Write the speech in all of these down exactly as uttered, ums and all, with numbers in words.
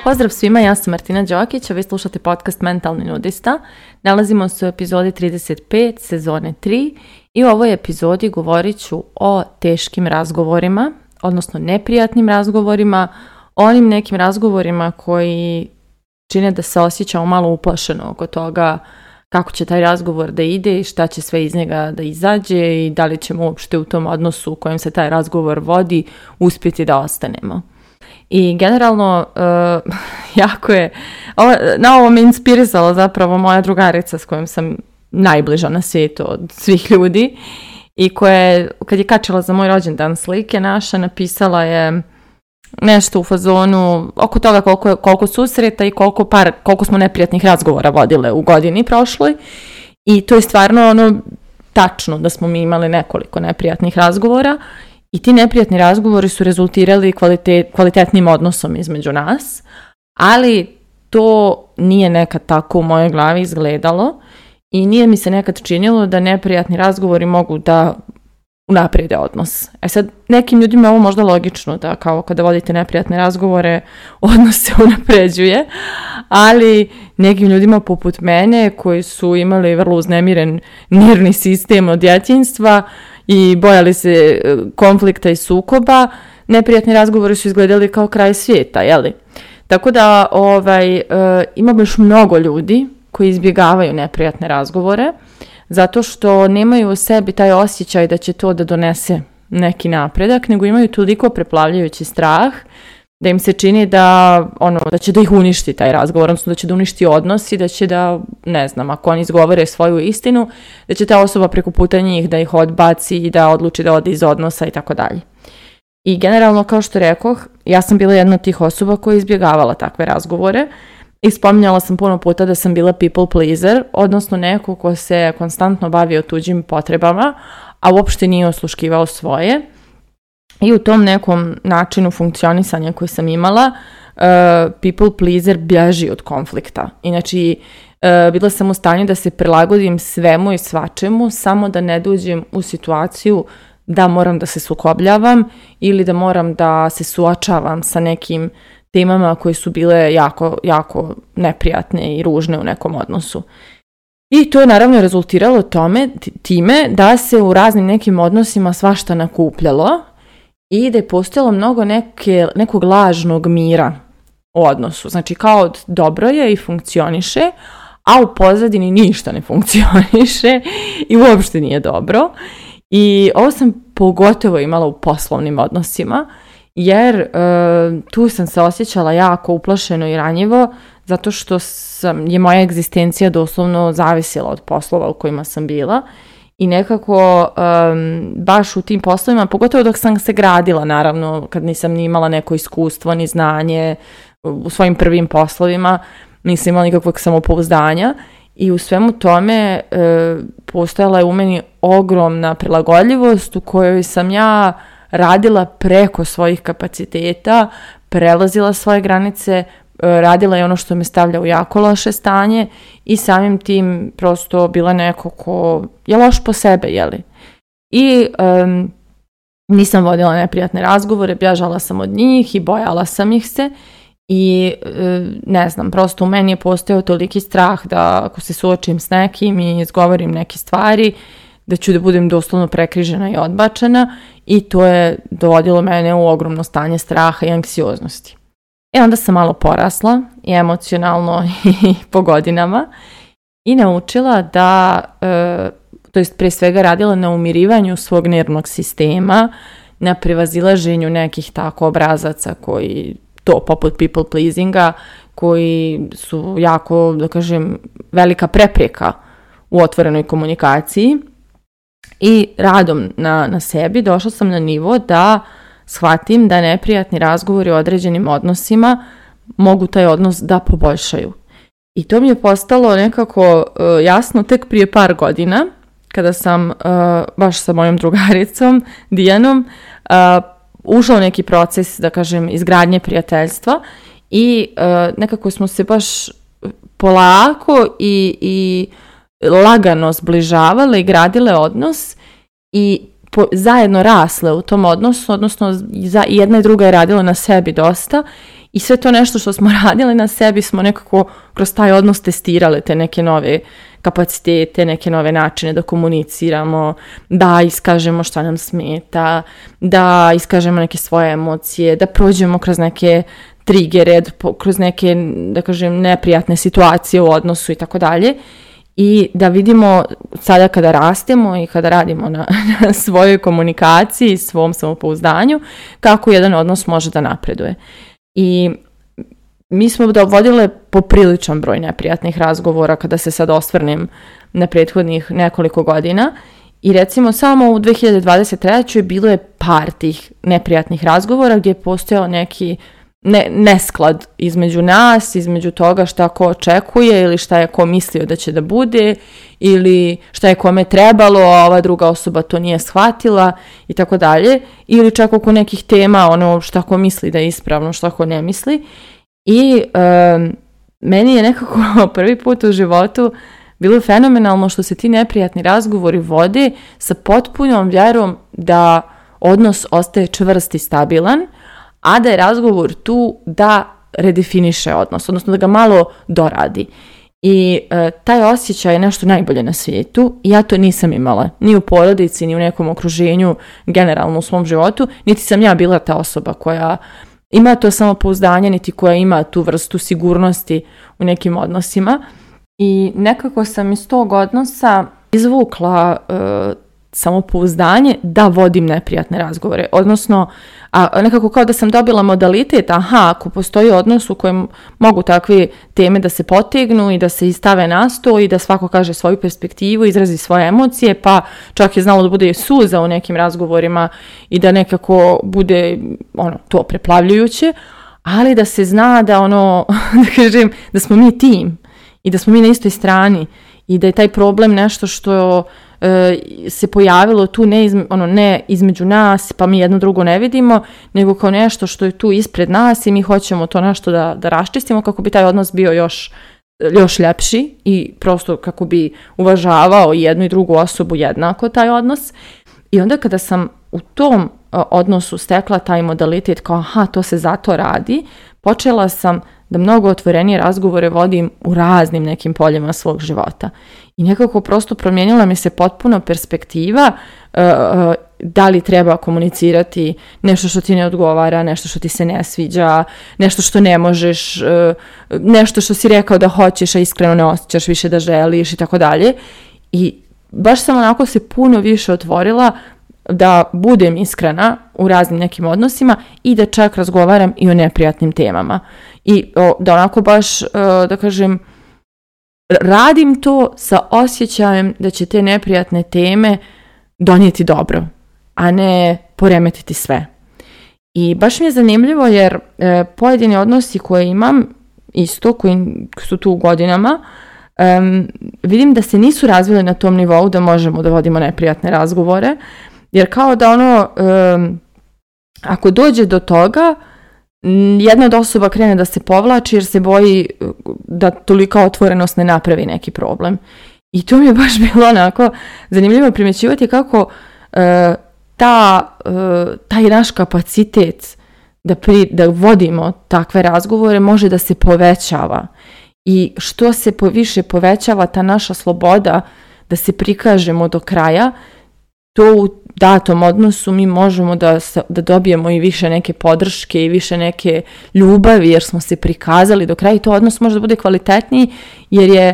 Pozdrav svima, ja sam Martina Đokić, a vi slušate podcast Mentalni nudista. Nalazimo se u epizodi trideset pet sezone tri i u ovoj epizodi govorit ću o teškim razgovorima, odnosno neprijatnim razgovorima, onim nekim razgovorima koji čine da se osjećamo malo uplašeno oko toga kako će taj razgovor da ide i šta će sve iz njega da izađe i da li ćemo uopšte u tom odnosu u kojem se taj razgovor vodi uspjeti da ostanemo. I generalno, uh, jako je, ovo, na ovo me inspirisala zapravo moja drugarica s kojom sam najbliža na svijetu od svih ljudi i koja je, kad je kačila za moj rođendan slike naša, napisala je nešto u fazonu oko toga koliko, koliko susreta i koliko, par, koliko smo neprijatnih razgovora vodile u godini prošloj. I to je stvarno ono tačno da smo mi imali nekoliko neprijatnih razgovora. I ti neprijatni razgovori su rezultirali kvalitet, kvalitetnim odnosom između nas, ali to nije nekad tako u mojoj glavi izgledalo i nije mi se nekad činilo da neprijatni razgovori mogu da unaprijede odnos. E sad, nekim ljudima je ovo možda logično, da kao kada vodite neprijatne razgovore, odnos se unapređuje, ali nekim ljudima poput mene koji su imali vrlo uznemiren nervni sistem od djetinjstva i bojali se konflikta i sukoba, neprijatni razgovori su izgledali kao kraj svijeta, jeli? Tako da ovaj, e, ima baš mnogo ljudi koji izbjegavaju neprijatne razgovore, zato što nemaju u sebi taj osjećaj da će to da donese neki napredak, nego imaju toliko preplavljajući strah da im se čini da, ono, da će da ih uništi taj razgovor, odnosno da će da uništi odnos i da će da, ne znam, ako oni izgovore svoju istinu, da će ta osoba preko puta njih da ih odbaci i da odluči da ode iz odnosa i tako dalje. I generalno, kao što rekoh, ja sam bila jedna od tih osoba koja je izbjegavala takve razgovore i spominjala sam puno puta da sam bila people pleaser, odnosno neko ko se konstantno bavio tuđim potrebama, a uopšte nije osluškivao svoje. I u tom nekom načinu funkcionisanja koji sam imala, uh, people pleaser bježi od konflikta. Inači, uh, bila sam u stanju da se prilagodim svemu i svačemu, samo da ne dođem u situaciju da moram da se sukobljavam ili da moram da se suočavam sa nekim temama koje su bile jako, jako neprijatne i ružne u nekom odnosu. I to je naravno rezultiralo tome, time da se u raznim nekim odnosima svašta nakupljalo i da je postojalo mnogo neke, nekog lažnog mira u odnosu. Znači kao dobro je i funkcioniše, a u pozadini ništa ne funkcioniše i uopšte nije dobro. I ovo sam pogotovo imala u poslovnim odnosima, jer e, tu sam se osjećala jako uplašeno i ranjivo, zato što sam, je moja egzistencija doslovno zavisila od poslova u kojima sam bila. I nekako um, baš u tim poslovima, pogotovo dok sam se gradila, naravno, kad nisam ni imala neko iskustvo, ni znanje u svojim prvim poslovima, nisam imala nikakvog samopouzdanja i u svemu tome e, postojala je u meni ogromna prilagodljivost u kojoj sam ja radila preko svojih kapaciteta, prelazila svoje granice, radila je ono što me stavlja u jako loše stanje i samim tim prosto bila neko ko je loš po sebe, jeli? I um, nisam vodila neprijatne razgovore, bježala sam od njih i bojala sam ih se i um, ne znam, prosto u meni je postojao toliki strah da ako se suočim s nekim i izgovorim neke stvari, da ću da budem doslovno prekrižena i odbačena i to je dovodilo mene u ogromno stanje straha i anksioznosti. I onda sam malo porasla i emocionalno i po godinama i naučila da, e, to jest prije svega radila na umirivanju svog nervnog sistema, na prevazilaženju nekih tako obrazaca koji, to poput people pleasinga, koji su jako, da kažem, velika prepreka u otvorenoj komunikaciji. I radom na, na sebi došla sam na nivo da shvatim da neprijatni razgovori o određenim odnosima mogu taj odnos da poboljšaju. I to mi je postalo nekako uh, jasno tek prije par godina, kada sam uh, baš sa mojom drugaricom Dijanom uh, ušla u neki proces, da kažem, izgradnje prijateljstva i uh, nekako smo se baš polako i, i lagano zbližavale i gradile odnos i po, zajedno rasle u tom odnosu, odnosno za, jedna i druga je radila na sebi dosta i sve to nešto što smo radili na sebi smo nekako kroz taj odnos testirale te neke nove kapacitete, neke nove načine da komuniciramo, da iskažemo šta nam smeta, da iskažemo neke svoje emocije, da prođemo kroz neke trigere, kroz neke, da kažem, neprijatne situacije u odnosu i tako dalje. I da vidimo sada kada rastemo i kada radimo na, na svojoj komunikaciji, svom samopouzdanju, kako jedan odnos može da napreduje. I mi smo da vodile popriličan broj neprijatnih razgovora kada se sad osvrnem na prethodnih nekoliko godina i recimo samo u dve hiljade dvadeset trećoj bilo je par tih neprijatnih razgovora gdje je postojao neki ne, nesklad između nas, između toga šta ko očekuje ili šta je ko mislio da će da bude ili šta je kome trebalo, a ova druga osoba to nije shvatila i tako dalje, ili čak oko nekih tema, ono šta ko misli da je ispravno, šta ko ne misli. I um, meni je nekako prvi put u životu bilo fenomenalno što se ti neprijatni razgovori vode sa potpunom vjerom da odnos ostaje čvrst i stabilan, a da je razgovor tu da redefiniše odnos, odnosno da ga malo doradi. I e, taj osjećaj je nešto najbolje na svijetu i ja to nisam imala, ni u porodici, ni u nekom okruženju, generalno u svom životu, niti sam ja bila ta osoba koja ima to samopouzdanje, niti koja ima tu vrstu sigurnosti u nekim odnosima. I nekako sam iz tog odnosa izvukla e, samopouzdanje da vodim neprijatne razgovore. Odnosno, a nekako kao da sam dobila modalitet, aha, ako postoji odnos u kojem mogu takve teme da se potegnu i da se istave na sto i da svako kaže svoju perspektivu, izrazi svoje emocije, pa čak je znalo da bude suza u nekim razgovorima i da nekako bude ono to preplavljujuće, ali da se zna da ono, da kažem, da smo mi tim i da smo mi na istoj strani i da je taj problem nešto što se pojavilo tu ne, izme, ono, ne između nas pa mi jedno drugo ne vidimo, nego kao nešto što je tu ispred nas i mi hoćemo to nešto da, da raščistimo kako bi taj odnos bio još, još ljepši i prosto kako bi uvažavao jednu i drugu osobu jednako taj odnos. I onda kada sam u tom odnosu stekla taj modalitet kao aha, to se zato radi, počela sam da mnogo otvorenije razgovore vodim u raznim nekim poljima svog života. I nekako prosto promijenila mi se potpuno perspektiva uh, uh, da li treba komunicirati nešto što ti ne odgovara, nešto što ti se ne sviđa, nešto što ne možeš, uh, nešto što si rekao da hoćeš, a iskreno ne osjećaš više da želiš i tako dalje. I baš sam onako se puno više otvorila da budem iskrena u raznim nekim odnosima i da čak razgovaram i o neprijatnim temama. I o, da onako baš, uh, da kažem, radim to sa osjećajem da će te neprijatne teme donijeti dobro, a ne poremetiti sve. I baš mi je zanimljivo jer e, pojedini odnosi koje imam, isto, koji su tu godinama, e, vidim da se nisu razvili na tom nivou da možemo da vodimo neprijatne razgovore, jer kao da ono, e, ako dođe do toga, jedna od osoba krene da se povlači jer se boji da tolika otvorenost ne napravi neki problem. I to mi je baš bilo onako zanimljivo primjećivati kako e, ta, e, taj naš kapacitet da, pri, da vodimo takve razgovore može da se povećava. I što se po, više povećava ta naša sloboda da se prikažemo do kraja, to u datom odnosu mi možemo da, da dobijemo i više neke podrške i više neke ljubavi jer smo se prikazali do kraja i to odnos može da bude kvalitetniji jer, je,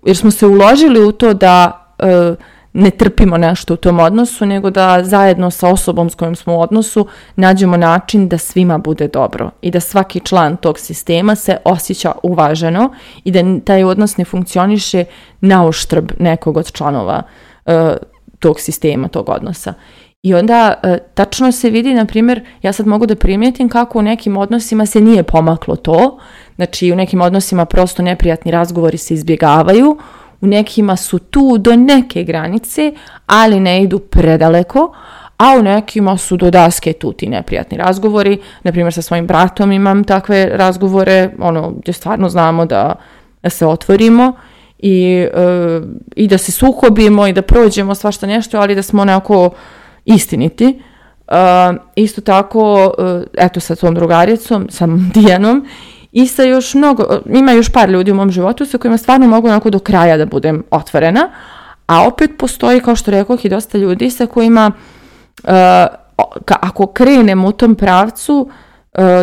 jer smo se uložili u to da e, ne trpimo nešto u tom odnosu nego da zajedno sa osobom s kojom smo u odnosu nađemo način da svima bude dobro i da svaki član tog sistema se osjeća uvaženo i da taj odnos ne funkcioniše na uštrb nekog od članova e, tog sistema, tog odnosa. I onda e, tačno se vidi, na primjer, ja sad mogu da primijetim kako u nekim odnosima se nije pomaklo to, znači u nekim odnosima prosto neprijatni razgovori se izbjegavaju, u nekima su tu do neke granice, ali ne idu predaleko, a u nekima su do daske tu ti neprijatni razgovori, na primjer sa svojim bratom imam takve razgovore, ono, gdje stvarno znamo da se otvorimo i, uh, i da se sukobimo i da prođemo svašta nešto, ali da smo onako istiniti. Uh, isto tako, uh, eto sa tom drugaricom, sa Dijanom, i sa još mnogo, ima još par ljudi u mom životu sa kojima stvarno mogu onako do kraja da budem otvorena, a opet postoji, kao što rekoh, i dosta ljudi sa kojima uh, ako krenem u tom pravcu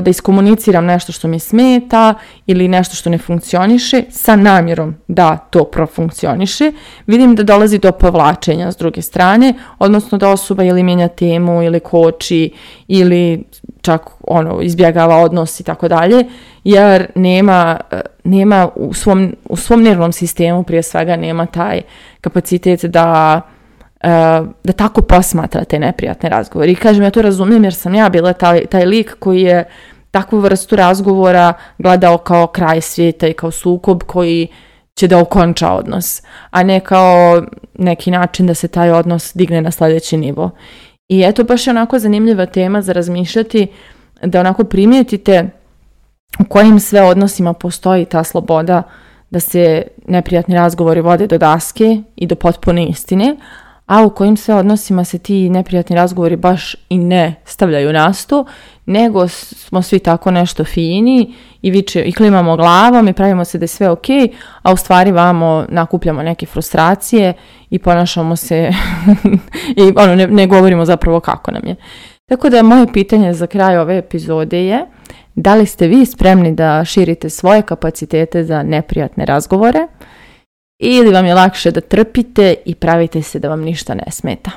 da iskomuniciram nešto što mi smeta ili nešto što ne funkcioniše sa namjerom da to profunkcioniše, vidim da dolazi do povlačenja s druge strane, odnosno da osoba ili mijenja temu ili koči ili čak ono izbjegava odnos i tako dalje, jer nema, nema u svom, u svom nervnom sistemu prije svega nema taj kapacitet da da tako posmatra te neprijatne razgovore. I kažem, ja to razumijem jer sam ja bila taj, taj lik koji je takvu vrstu razgovora gledao kao kraj svijeta i kao sukob koji će da okonča odnos, a ne kao neki način da se taj odnos digne na sljedeći nivo. I eto, baš je onako zanimljiva tema za razmišljati, da onako primijetite u kojim sve odnosima postoji ta sloboda da se neprijatni razgovori vode do daske i do potpune istine, a u kojim sve odnosima se ti neprijatni razgovori baš i ne stavljaju na sto, nego smo svi tako nešto fini i, viče, i klimamo glavom i pravimo se da je sve ok, a u stvari vamo nakupljamo neke frustracije i ponašamo se i ono, ne, ne govorimo zapravo kako nam je. Tako da moje pitanje za kraj ove epizode je: da li ste vi spremni da širite svoje kapacitete za neprijatne razgovore? Ili vam je lakše da trpite i pravite se da vam ništa ne smeta?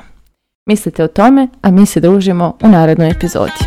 Mislite o tome, a mi se družimo u narednoj epizodi.